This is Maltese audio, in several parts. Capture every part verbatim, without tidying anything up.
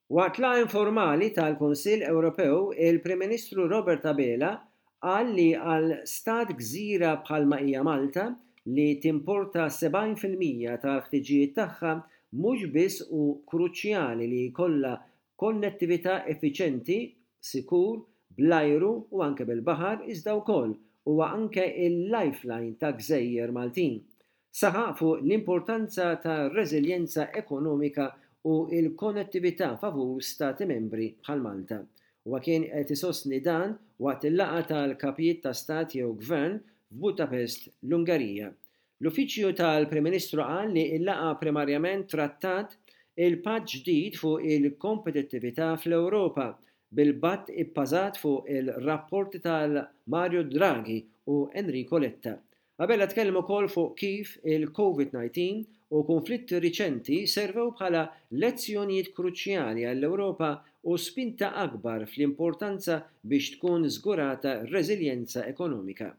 Waqt laqgħa informali tal-Kunsill Ewropew, il-Prim Ministru Robert Abela qal li għal stat gżira bħalma hija Malta li timporta sebgħin fil-mija tal-ħtiġijiet tagħha mhux biss hu kruċjali li jkollha konnettività effiċjenti, sikur, bl-ajru u anke bil-baħar, iżda wkoll huwa anke il-lifeline ta' gżejjer Maltin. Saħaq fuq l-importanza ta' reżiljenza ekonomika u l-konnettività favur stati membri bħal Malta. Huwa kien qed isostni dan waqt il-laqgħa tal-kapijiet ta' stat jew gvern f'Budapest, l-Ungerija. L-Uffiċċju tal-Prim Ministru qal li l-laqgħa primarjament trattat il-patt ġdid fuq il-kompetittività fl-Ewropa bil-patt ibbażat fuq il-rapporti tal-Mario Draghi u Enrico Letta. Abela tkellem ukoll fuq kif il-Covid nineteen u konflitti riċenti servew bħala lezzjonijiet kruċjali għall-Ewropa u spinta akbar fl-importanza biex tkun żgurata reżiljenza ekonomika.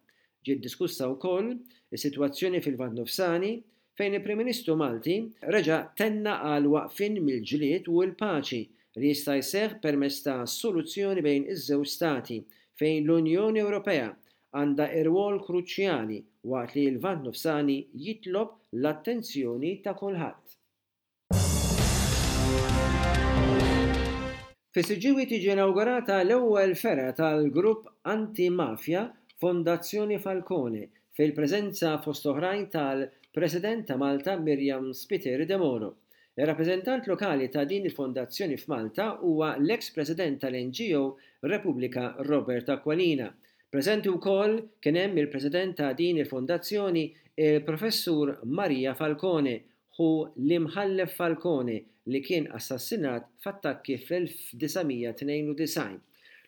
Ġiet diskussa wkoll is-sitwazzjoni fil-Lvant Nofsani fejn il-Prim Ministru Malti reġa' tenna għal waqfien mill-ġlied u l-paċi li jista' jseħħ permezz ta' soluzzjoni bejn iż-żewġ stati fejn l-Unjoni Ewropea għandha rwol kruċjali waqt li l-Lvant Nofsani jitlob l-attenzjoni ta' kulħadd. Fis-Siġġiewi tiġi inaugurata l-ewwel fergħa tal-grupp anti-mafja Fondazzjoni Falcone fil-preżenza fost oħrajn tal-President ta' Malta Myriam Spiteri Debono. Ir-rappreżentant lokali ta' din il-fondazzjoni f'Malta huwa l-ex-president tal-N G O Repubblika Robert Aquilina. Preżenti wkoll kien hemm il-president ta' din il-fondazzjoni il-Professur Maria Falcone, hu l-imħallef Falcone li kien assassinat f'attakki fl-elf disa' mija tnejn u disgħin.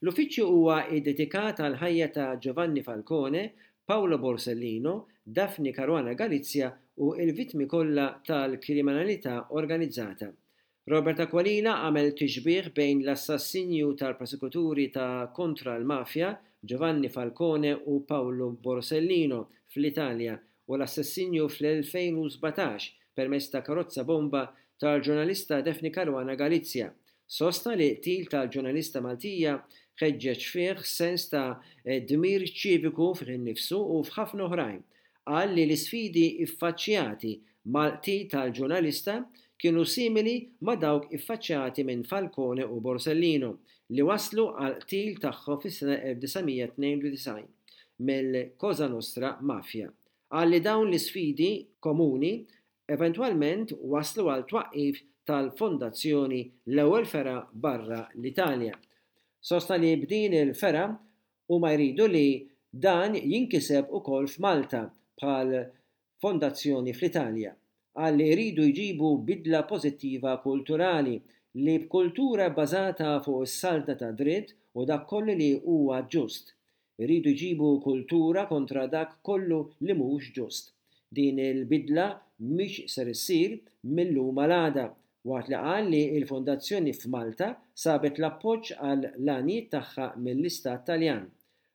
L-uffiċċju huwa iddedikat għal ħajja ta' Giovanni Falcone, Paolo Borsellino, Daphne Caruana Galizia u l-vittmi kollha tal-kriminalità organizzata. Robert Aquilina għamel tixbih bejn l-assassinju tal-prosekuturi ta' kontra l-mafja Giovanni Falcone u Paolo Borsellino fl-Italja u l-assassinju fl-elfejn u sbatax permezz ta' karozza bomba tal-ġurnalista Daphne Caruana Galizia. Sostna li qtil tal-ġurnalista Maltija ħeġġeġ fih sens ta' dmir ċiviku fih innifsu u f'ħafna oħrajn. Qal li l-isfidi iffaċċjati mal-qtil tal-ġurnalista kienu simili ma' dawk iffaċċjati minn Falcone u Borsellino li waslu għal qtil tagħhom fis-sena elf disa' mija tnejn u disgħin mill-Cosa Nostra Mafia. Qal li dawn l-isfidi komuni eventwalment waslu għal twaqqif tal-fondazzjoni l-ewwel fergħa barra l-Italja. Sostna li b'din il-fergħa huma jridu li dan jinkiseb ukoll f'Malta bħal fondazzjoni fl-Italja. Qal li jridu jġibu bidla pożittiva kulturali li b'kultura bbażata fuq is-saltna ta' dritt u dak kollu li huwa ġust. Iridu jġibu kultura kontra dak kollu li mhux ġust. Din il-bidla mhix ser issir mill-lum għal għada, waqt li qal li l-fondazzjoni f'Malta sabet l-appoġġ għal l-għanijiet tagħha mill-Istat Taljan.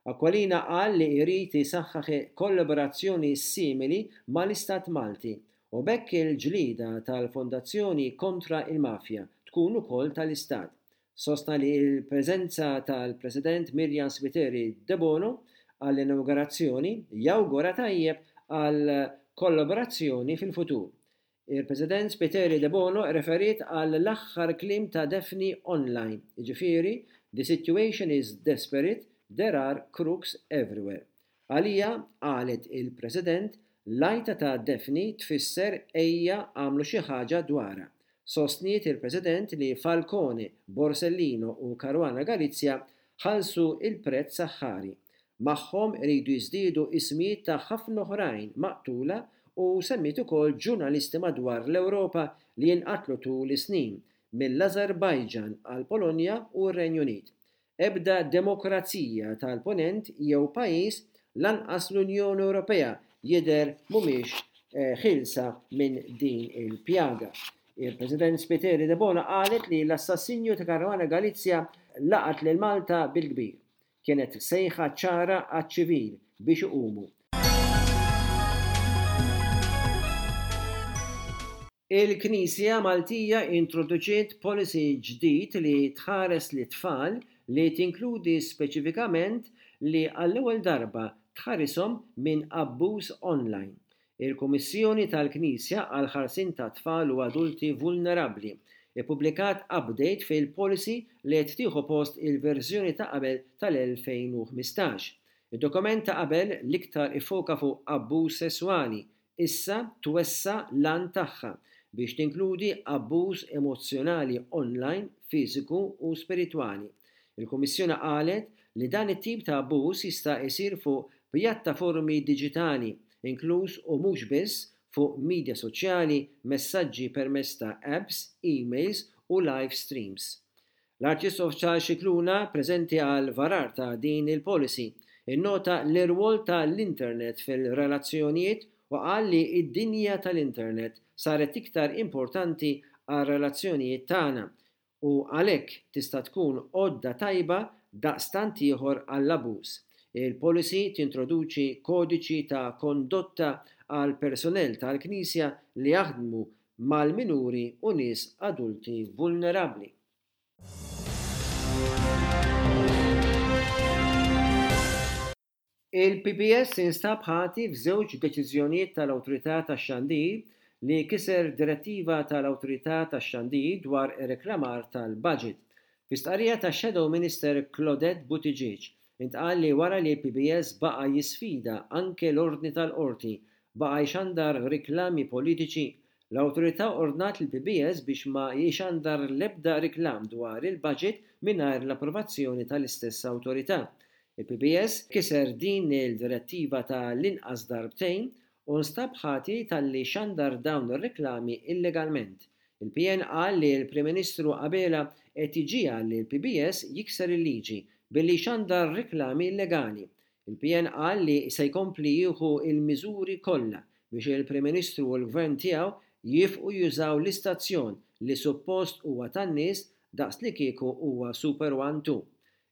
Aquilina qal li jrid isaħħaħ kollaborazzjoni simili mal-Istat Malti u b'hekk il-ġlieda tal-fondazzjoni kontra il-mafja tkun ukoll tal-Istat. Sostna li l-preżenza tal-President Myriam Spiteri Debono għall-inaugurazzjoni jawgura tajjeb għal kollaborazzjoni fil-futur. Il-President Spiteri Debono referiet għal l-aħħar kliem ta' Daphne online, jiġifieri The situation is desperate, there are crooks everywhere. Għalija, qalet il-President, l-għajta ta' Daphne tfisser ejja għamlu xi ħaġa dwarha. Sostniet il-President li Falcone, Borsellino u Caruana Galizia ħallsu il-prezz saħħari. Magħhom iridu jiżdiedu ismijiet ta' ħafna oħrajn maqtula u semmiet ukoll ġurnalisti madwar l-Ewropa li jinqatlu tul is-snin mill-Azerbajġan għal Polonja u r-Renju Unit. Ebda demokrazija tal-ponent jew pajjiż lanqas l-Unjoni Ewropea jidher mhumiex, eh, ħilsa minn din il-pjaga. Il-President Spiteri Debono qalet li l-assassinju ta' Caruana Galizia laqat lil Malta bil-kbir. Kienet sejħa ċara għaċ-ċivil biex iqumu. Il-Knisja Maltija introduċiet policy ġdid li tħares lit-tfal li tinkludi speċifikament li għall-ewwel darba tħarishom minn abbuż online. Il-Kummissjoni tal-Knisja għall-Ħarsien ta' Tfal u Adulti Vulnerabbli ippubblikat update fil-policy li qed tieħu post il-verżjoni ta' qabel tal-elfejn u ħmistax. Id-dokument ta' qabel l-iktar iffoka fuq abbuż sesswali, issa twessa' l-għan tagħha biex tinkludi abbuż emozzjonali online, fiżiku u spiritwali. Il-Kummissjoni qalet li dan it-tip ta' abbuż jista' jsir fuq pjattaformi diġitali, inkluż u mhux biss fuq media soċjali, messaġġi permezz ta' apps, emails u live streams. L-Arċisqof Charles Scicluna, preżenti għal varar ta' din il-policy, innota l-irwol ta' l-internet fil-relazzjonijiet u qal li d-dinja tal-internet saret iktar importanti għar-relazzjonijiet tagħna u għalhekk tista' tkun għodda tajba daqstant ieħor għall-abbuż. Il-policy tintroduċi kodiċi ta' kondotta għall-personnel tal-Knisja li jaħdmu mal-minuri u nies adulti vulnerabbli. Il-P P S instab ħati f'żewġ deċiżjonijiet tal-Awtorità tax-Xandir li kiser direttiva tal-Awtorità tax-Xandir dwar ir-reklamar tal-budget. Fi stqarrija ta' Shadow Minister Claudette Buttigieg, intqal li wara li l-P P S baqa' jisfida anke l-ordni tal-qorti, baqa' jxandar riklami politiċi, l-awtorità ordnat lill-P P S biex ma jxandar l-ebda riklam dwar il-budget mingħajr l-approvazzjoni tal-istess awtorità. Il-P P S kiser din il-direttiva tal-inqas darbtejn u nstab ħati talli xandar dawn ir-reklami illegalment. Il-P N qal li l-Prim Ministru Abela qed iġiegħel li l-P P S jikser il-liġi billi xandar reklami illegali. Il-P N qal li se jkompli jieħu il-miżuri kollha biex il-Prim Ministru u l-Gvern tiegħu jifqu jużaw l-istazzjon li suppost huwa tan-nies daqs li kieku huwa Super One Two.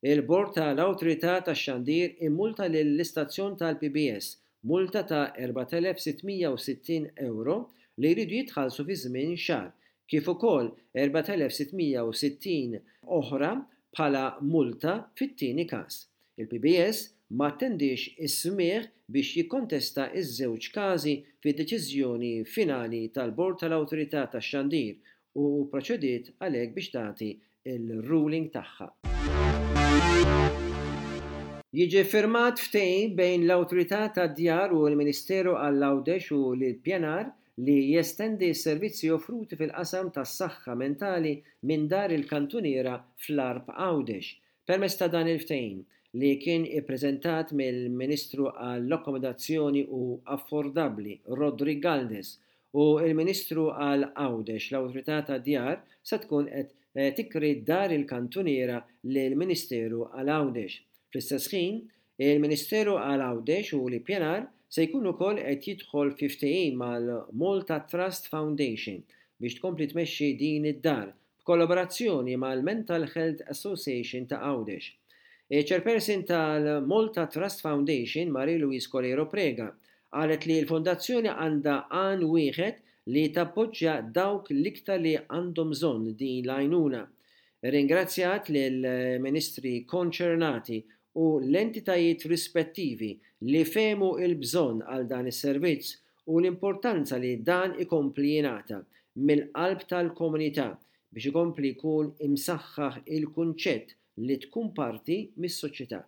Il-Bord tal-Awtorità tax-Xandir immulta lill-istazzjon tal-P B S multa ta' erbat elef sittmija u sittin euro li jridu jitħallsu fi żmien xahar, kif ukoll erbat elef sittmija u sittin oħra bħala multa fit-tieni każ. Il-P B S ma attendix is-smigħ biex jikkontesta ż-żewġ każi fid-deċiżjoni finali tal-Bord tal-Awtorità tax-Xandir u proċediet għalhekk biex tagħti il-ruling tagħha. Jiġi firmat ftehim bejn l-Awtorità tad-Djar u l-Ministeru għall-Għawdex u l-Pjanar li jestendi s-servizzi offruti fil-qasam tas-saħħa mentali minn dar il-kantuniera fl-Għarb Għawdex. Permezz ta' dan il-ftehim li kien ippreżentat mill-Ministru għall-Akkomodazzjoni u Affordabbli Roderick Galdes u l-Ministru għal Għawdex, l-Awtorità tad-Djar se tkun qed tikri dar il-kantuniera lill-Ministeru għal Għawdex. Fl-istess ħin, il-Ministeru għal Għawdex u l-Ippjanar se jkun ukoll qed jidħol fi ftehim mal-Malta Trust Foundation biex tkompli tmexxi din id-dar b'kollaborazzjoni mal-Mental Health Association ta' Għawdex. Il-Chairperson tal-Malta Trust Foundation, Marie-Louise Coleiro Preca, qalet li l-fondazzjoni għandha għan wieħed li tappoġġja dawk l-iktar li għandhom bżonn din l-għajnuna. Ringrazzjat lill-ministri konċernati u l-entitajiet rispettivi li fehmu il-bżonn għal dan is-servizz u l-importanza li dan ikompli jingħata mill-qalb tal-komunità biex ikompli jkun imsaħħaħ il-kunċett li tkun parti mis-soċjetà.